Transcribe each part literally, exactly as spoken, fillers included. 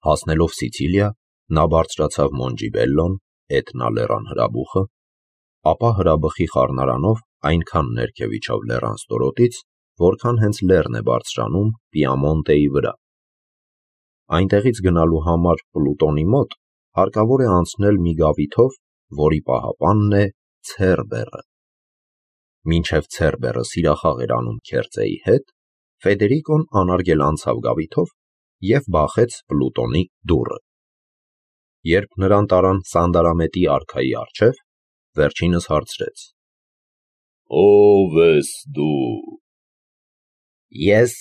Հասնելով Սիցիլիա, նա բարձրացավ Մոնջիբելլոն, Էտնա լեռան հրաբուխը, ապա հրաբխի խառնարանով այնքան ներքև իջավ լեռան ստորոտից, որքան հենց լեռն է բարձրանում Պիամոնտեի վրա։ Այնտեղից գնալու համար Պլուտոնի մոտ հարկավոր է անցնել մի գավիթով, որի պահապանն է Ցերբերը։ Մինչև Ցերբերը սիրախաղ էր անում Քերծեի հետ, Ֆեդերիկոն անարգել անցավ գավիթով և բախեց Պլուտոնի դուռը։ Երբ նրան տարան Սանդարամետի արքայի առջև, վերջինս հարցրեց. Ո՞վ ես դու։ Ես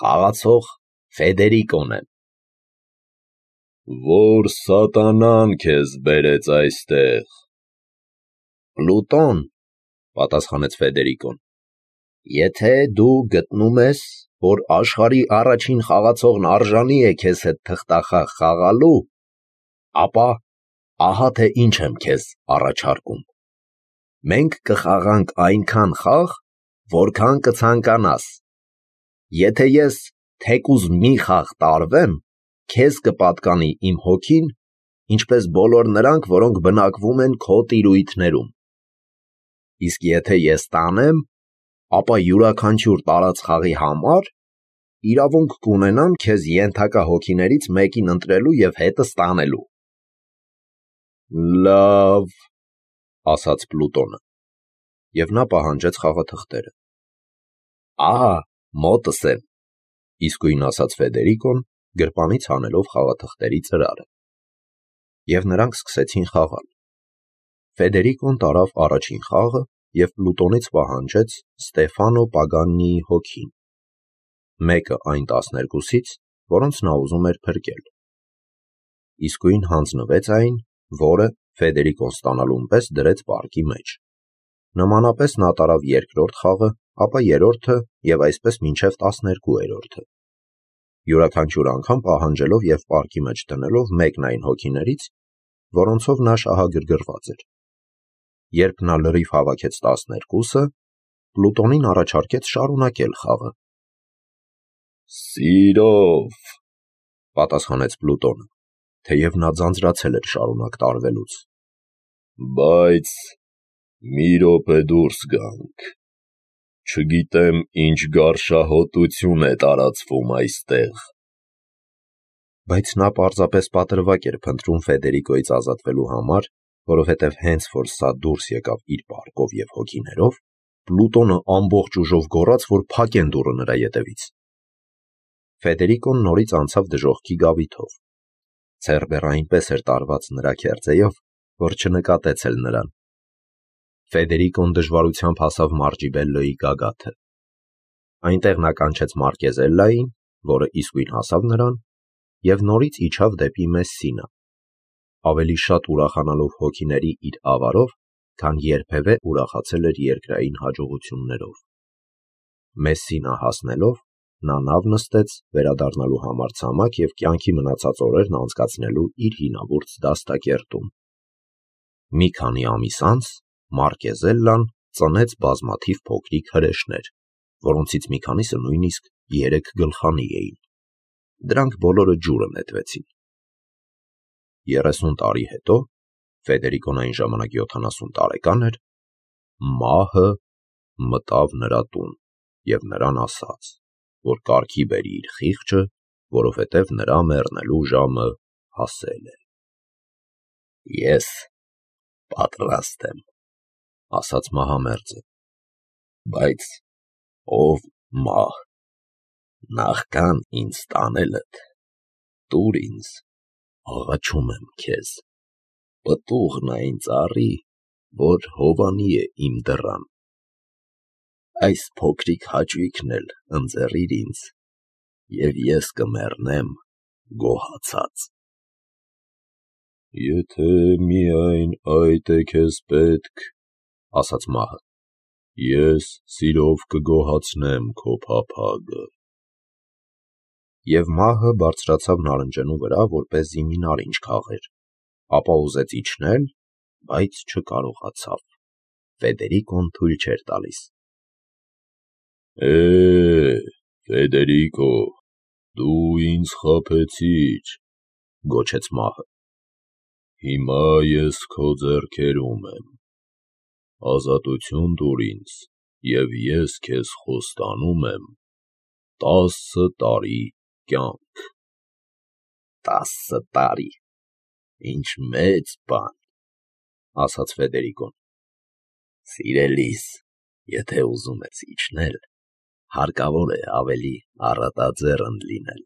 խաղացող Ֆեդերիկոն եմ։ Որ սատանան քեզ բերեց այստեղ։ Պլուտոն, պատասխանեց Ֆեդերիկոն, եթե դու գտնում ես, որ աշխարհի առաջին խաղացողն արժանի է քեզ հետ թղթախաղ խաղալու, ապա ահա թե ինչ եմ քեզ առաջարկում։ Մենք կխաղանք այնքան խաղ, որքան կցանկանաս։ Եթե ես թեկուզ մի խաղ տարվեմ, քեզ կպատկանի իմ հոգին, ինչպես բոլոր նրանք, որոնք բնակվում են քո տիրույթներում։ Իսկ եթե ես տանեմ, ապա յուրաքանչյուր տարած խաղի համար իրավունք կունենամ քեզ ենթակա հոգիներից մեկին ընտրելու և հետը ստանելու։ Լավ, ասաց Պլուտոնը, և նա պահանջեց խաղաթղթերը։ Ահա մոտս եմ, իսկույն ասաց Ֆեդերիկոն, գրպանից հանելով խաղաթղթերի ծրարը։ Եվ նրանք սկսեցին խաղալ։ Ֆեդերիկոն տարավ առաջին խաղը և Պլուտոնից պահանջեց Ստեֆանո Պագանիի հոգին, մեկը այն տասներկուսից, որոնց նա ուզում էր փրկել։ Իսկույն հանձնվեց այն, որը Ֆեդերիկոն ստանալուն պես դրեց պարկի մեջ։ Նմանապես նա տարավ երկրորդ խաղը, ապա երրորդը և այսպես մինչև տասներկուերորդը, յուրաքանչյուր անգամ պահանջելով և պարկի մեջ դնելով մեկն այն հոգիներից, որոնցով նա շահագրգռված էր։ Երբ նա լրիվ հավաքեց տասներկուսը, Պլուտոնին առաջարկեց շարունակել խաղը։ Սիրով, պատասխանեց Պլուտոնը, թեև նա ձանձրացել էր շարունակ տարվելուց։ Բայց մի րոպե դուրս գանք։ Չգիտեմ ինչ գարշահոտություն է տարածվում այստեղ։ Բայց նա պարզապես պատրվակ էր փնտրում Ֆեդերիկոյից ազատվելու համար, որովհետև հենց որ սա դուրս եկավ իր պարկով և հոգիներով, Պլուտոնը ամբողջ ուժով գոռաց, որ փակեն դուռը նրա ետևից։ Ֆեդերիկոն նորից անցավ դժոխքի գավիթով։ Ցերբերը այնպես էր տարված նրա քերծեով, որ չնկատեց էլ նրան։ Ֆեդերիկոն դժվարությամբ հասավ Մարջիբելլոյի գագաթը։ Այնտեղ նա կանչեց Մարկեզելլային, որը իսկույն հասավ նրան, և նորից իջավ դեպի Մեսսինա, ավելի շատ ուրախանալով հոգիների իր ավարով, քան երբևէ ուրախացել էր երկրային հաջողություններով։ Մեսսինա հասնելով, նա նավ նստեց վերադառնալու համար ցամաք և կյանքի մնացած օրերն անցկացնելու իր հինավուրց դաստակերտում։ Մի քանի ամիս անց Մարկեզելլան ծնեց բազմաթիվ փոքրիկ հրեշներ, որոնցից մի քանիսը նույնիսկ երեք գլխանի էին։ Դրանք բոլորը ջուրը նետվեցին։ Երեսուն տարի հետո, Ֆեդերիկոն այն ժամանակ յոթանասուն տարեկան էր, մահը մտավ նրա տուն և նրան ասաց, որ կարգի բերի իր խիղճը, որովհետև նրա մեռնելու ժամը հասել է։ Ես պատրաստ եմ, ասաց մահամերձը, բայց ով մահ, նախքան ինձ տանելդ, տուր ինձ, աղաչում եմ քեզ, պտուղն այն ծառի, որ հովանի է իմ դռան։ Այս փոքրիկ հաճույքն էլ ընձեռիր ինձ, և ես կմեռնեմ գոհացած։ Եթե միայն այդ է քեզ պետք, ասաց մահը, ես սիրով կգոհացնեմ քո փափագը։ Եվ մահը բարձրացավ նարնջենու վրա, որպեսզի մի նարինջ քաղեր, ապա ուզեց իջնել, բայց չկարողացավ։ Ֆեդերիկոն թույլ չէր տալիս։ Է, Ֆեդերիկո, դու ինձ խաբեցիր, գոչեց մահը։ Հիմա ես քո ձեռքերում եմ, ազատություն տուր ինձ, և ես քեզ խոստանում եմ տասը տարի կյանք։ Տասը տարի, ինչ մեծ բան, ասաց Ֆեդերիկոն։ Սիրելիս, եթե ուզում ես իջնել, հարկավոր է ավելի առատաձեռն լինել։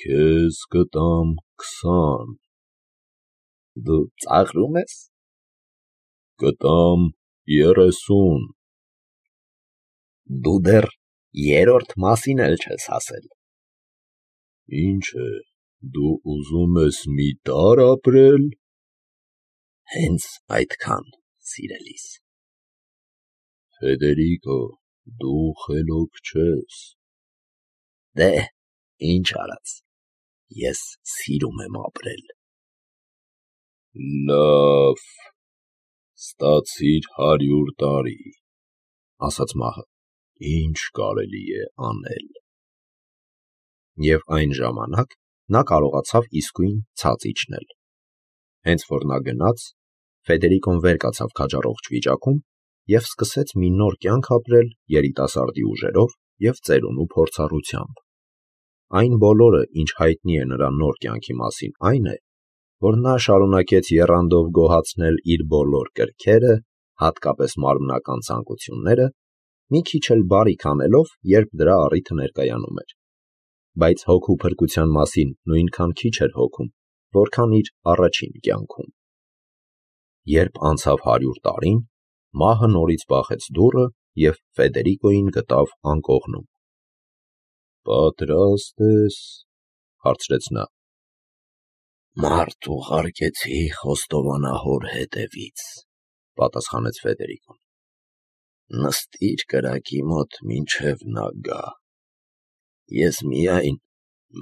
Քեզ կտամ քսան։ Դու ծաղրում ես։ Կտամ երեսուն։ Դու դեռ երրորդ մասին էլ չես ասել։ Ինչ է, դու ուզում ես մի դար ապրել։ Հենց այդքան, սիրելիս։ Ֆեդերիկո, դու խելոք չես։ Դե, ինչ արած, ես սիրում եմ ապրել։ Լավ, ստացիր հարյուր տարի, ասաց մահը։ Ինչ կարելի է անել։ Եվ այն ժամանակ նա կարողացավ իսկույն ցած իջնել։ Հենց որ նա գնաց, Ֆեդերիկոն վեր կացավ քաջառողջ վիճակում և սկսեց մի նոր կյանք ապրել երիտասարդի ուժերով և ծերունու փորձառությամբ։ Այն բոլորը, ինչ հայտնի է նրա նոր կյանքի մասին, այն է, որ նա շարունակեց եռանդով գոհացնել իր բոլոր կրքերը, հատկապես մարմնական ցանկությունները, մի քիչ էլ բարիք անելով, երբ դրա առիթը ներկայանում էր, բայց հոգու փրկության մասին նույնքան քիչ էր հոգում, որքան իր առաջին կյանքում։ Երբ անցավ հարյուր տարին, մահը նորից բախեց դուռը և Ֆեդերիկոյին գտավ անկողնում։ Պատրաստ ես, հարցրեց նա։ Մարդ ուղարկեցի խոստովանահոր հետևից, պատասխանեց Ֆեդերիկոն։ Նստիր կրակի մոտ մինչև նա գա։ Ես միայն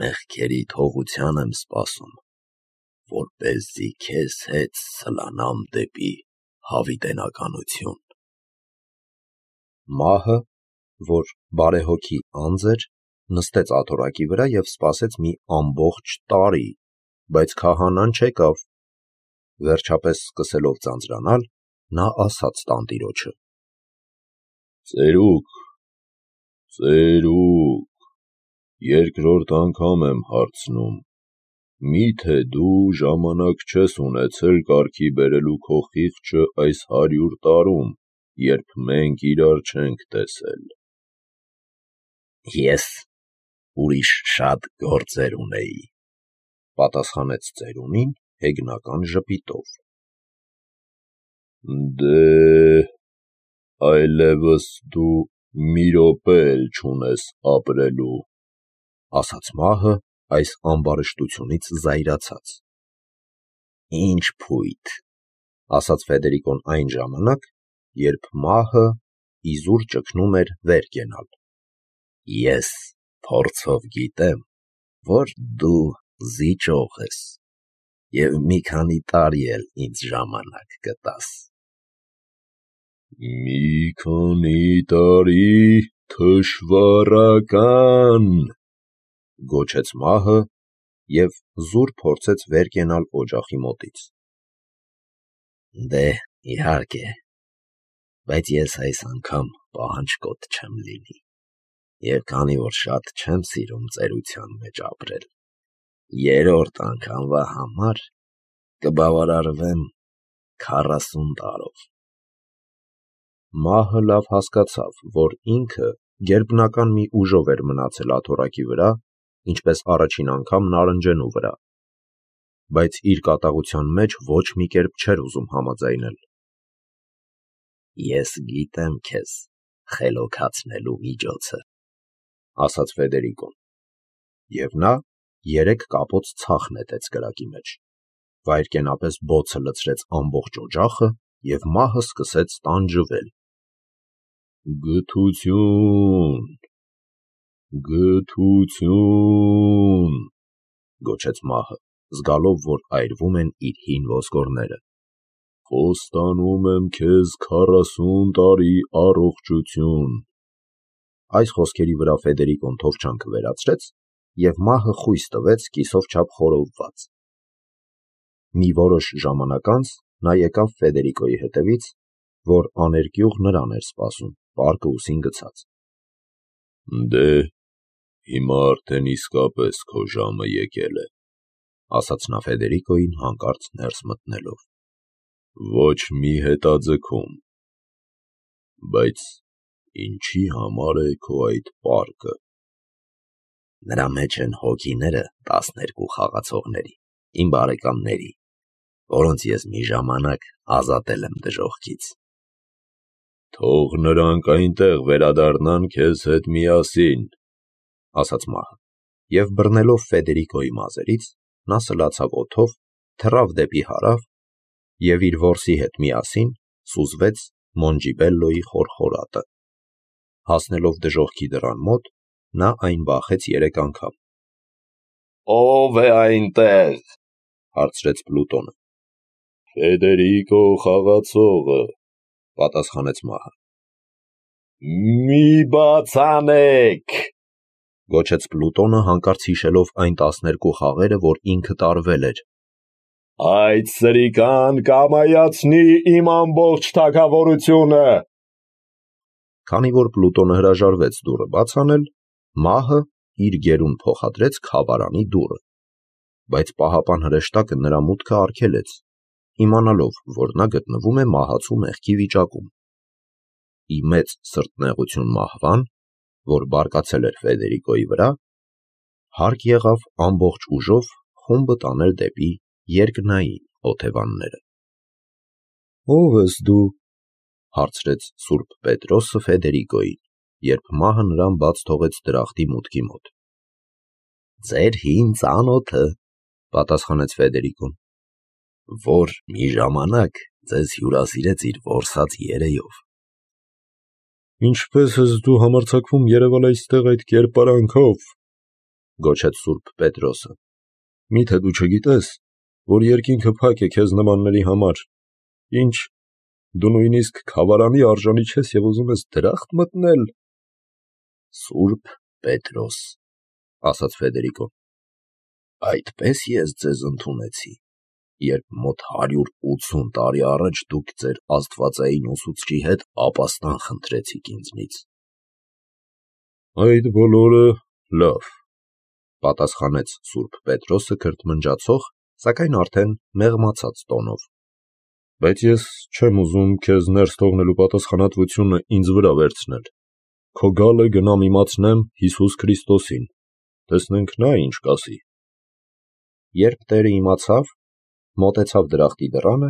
մեղքերի թողության եմ սպասում, որպեսզի քեզ հետ սլանամ դեպի հավիտենականություն։ Մահը, որ բարեհոգի անձ էր, նստեց աթոռակի վրա և սպասեց մի ամբողջ տարի, բայց քահանան չեկավ։ Վերջապես սկսելով ձանձրանալ, նա ասաց տանտիրոջը. Ծերուկ, ծերուկ, երկրորդ անգամ եմ հարցնում, միթե դու ժամանակ չես ունեցել կարգի բերելու քո խիղճը այս հարյուր տարում, երբ մենք իրար չենք տեսել։ Ես ուրիշ շատ գործեր ունեի, պատասխանեց ծերունին հեգնական ժպիտով։ Դե, այլևս դու մի րոպե էլ չունես ապրելու, ասաց մահը այս ամբարշտությունից զայրացած։ Ինչ փույթ, ասաց Ֆեդերիկոն այն ժամանակ, երբ մահը իզուր ճգնում էր վեր կենալ։ Ես փորձով գիտեմ, որ դու զիջող ես և մի քանի տարի էլ ինձ ժամանակ կտաս։ Մի քանի տարի թշվառական, գոչեց մահը և զուր փորձեց վեր կենալ օջախի մոտից։ Դե, իհարկե, բայց ես այս անգամ պահանջկոտ չեմ լինի, և քանի որ շատ չեմ սիրում ծերության մեջ ապրել, երրորդ անգամվա համար կբավարարվեմ քառասուն տարով։ Մահը լավ հասկացավ, որ ինքը գերբնական մի ուժով էր մնացել աթոռակի վրա, ինչպես առաջին անգամ նարնջենու վրա, բայց իր կատաղության մեջ ոչ մի կերպ չէր ուզում համաձայնել։ Ես գիտեմ քեզ խելոքացնելու միջոցը, ասաց Ֆեդերիկոն, և նա երեք կապոց ցախ նետեց կրակի մեջ, վայրկենապես բոցը լցրեց ամբողջ օջախը, և մահը սկսեց տանջվել։ Գթություն, գթություն, գոչեց մահը, զգալով, որ այրվում են իր հին ոսկորները։ Խոստանում եմ քեզ քառասուն տարի առողջություն։ Այս խոսքերի վրա Ֆեդերիկոն թովչանքը վերացրեց և մահը խույս տվեց կիսով չափ խորովված։ Մի որոշ ժամանակ անց նա եկավ Ֆեդերիկոյի հետևից, որ աներկյուղ նրան էր սպասում, պարկը ուսին գցած։ Դե, հիմա արդեն իսկապես քո ժամը եկել է, ասաց նա Ֆեդերիկոյին հանկարծ ներս մտնելով։ Ոչ մի հետաձգում։ Բայց ինչի համար է քո այդ պարկը։ Նրա մեջ են հոգիները տասներկու խաղացողների, իմ բարեկամների, որոնց ես մի ժամանակ ազատել եմ դժոխքից։ Թող նրանք այնտեղ վերադառնան քեզ հետ միասին, ասաց մահը, և բռնելով Ֆեդերիկոյի մազերից, նա սլացավ օդով, թռավ դեպի հարավ և իր որսի հետ միասին սուզվեց Մոնջիբելլոյի խորխորատը։ Հասնելով դժոխքի դռան մոտ, նա այն բախեց երեք անգամ։ Ո՞վ է այնտեղ, հարցրեց Պլուտոնը։ Ֆեդերիկո խաղացողը, պատասխանեց մահը։ Մի բացանեք, գոչեց Պլուտոնը, հանկարծ հիշելով այն տասներկու խաղերը, որ ինքը տարվել էր։ Այդ սրիկան կամայացնի իմ ամբողջ թագավորությունը։ Քանի որ Պլուտոնը հրաժարվեց դուռը բաց անել, մահը իր գերուն փոխադրեց քավարանի դուռը, բայց պահապան հրեշտակը նրա մուտքը արգելեց, իմանալով, որ նա գտնվում է մահացու մեղքի վիճակում։ Ի մեծ սրտնեղություն մահվան, որ բարկացել էր Ֆեդերիկոյի վրա, հարկ եղավ ամբողջ ուժով խումբը տանել դեպի երկնային օթևանները։ Ո՞վ ես դու, հարցրեց Սուրբ Պետրոսը Ֆեդերիկոյին, երբ մահը նրան բաց թողեց դրախտի մուտքի մոտ։ Ձեր հին ծանոթը, պատասխանեց Ֆեդերիկոն, որ մի ժամանակ ձեզ հյուրասիրեց իր որսած երեյով։ Ինչպես ես դու համարձակվում երևալ այստեղ այդ կերպարանքով, գոչեց Սուրբ Պետրոսը։ Միթե դու չգիտես, որ երկինքը փակ է քեզ նմանների համար, ինչ, դու նույնիսկ քավարանի արժանի չես և ուզում ես դրախտ մտնել։ Սուրբ Պետրոս, ասաց Ֆեդերիկոն, այդպես ես ձեզ ընդունեցի, երբ մոտ հարյուր ութսուն տարի առաջ դուք ձեր աստվածային ուսուցչի հետ ապաստան խնդրեցիք ինձնից։ Այդ բոլորը լավ, պատասխանեց Սուրբ Պետրոսը քրթմնջացող, սակայն արդեն մեղմացած տոնով։ Բայց ես չեմ ուզում քեզ ներս թողնելու պատասխանատվությունը ինձ վրա վերցնել։ Քո գալը գնամ իմացնեմ Հիսուս Քրիստոսին, տեսնենք նա ինչ կասի։ Երբ տերը իմացավ, մոտեցավ դրախտի դռանը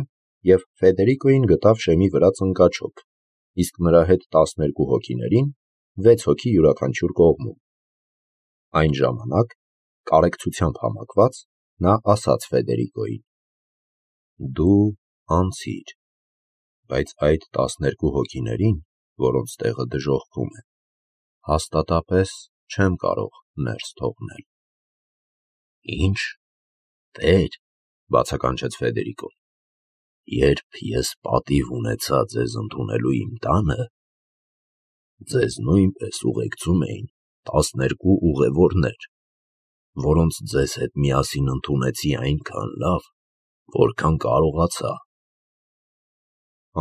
և Ֆեդերիկոյին գտավ շեմի վրա ծնկաչոք, իսկ նրա հետ տասներկու հոգիներին, վեց հոգի յուրաքանչյուր կողմում։ Այն ժամանակ, կարեկցությամբ համակված, նա ասաց Ֆեդերիկոյին. Դու անցիր, բայց այդ տասներկու հոգիներին, որոնց տեղը դժոխքում է, հաստատապես չեմ կարող ներս թողնել։ Ինչ, Տեր, բացականչեց Ֆեդերիկոն, երբ ես պատիվ ունեցա ձեզ ընդունելու իմ տանը, ձեզ նույնպես ուղեկցում էին տասներկու ուղևորներ, որոնց ձեզ հետ միասին ընդունեցի այնքան լավ, որքան կարողացա։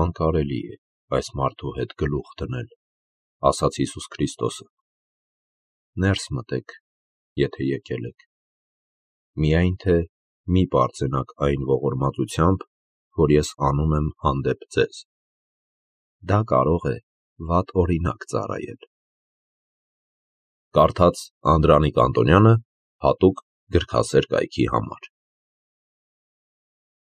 Անկարելի է այս մարդու հետ գլուխ դնել, ասաց Հիսուս Քրիստոսը։ Ներս մտեք, եթե եկել եք։ Միայն թե մի պարծենաք այն ողորմածությամբ, որ ես անում եմ հանդեպ ձեզ։ Դա կարող է վատ օրինակ ծառայել։ Կարդաց Անդրանիկ Անտոնյանը հատուկ գրքասեր կայքի համար։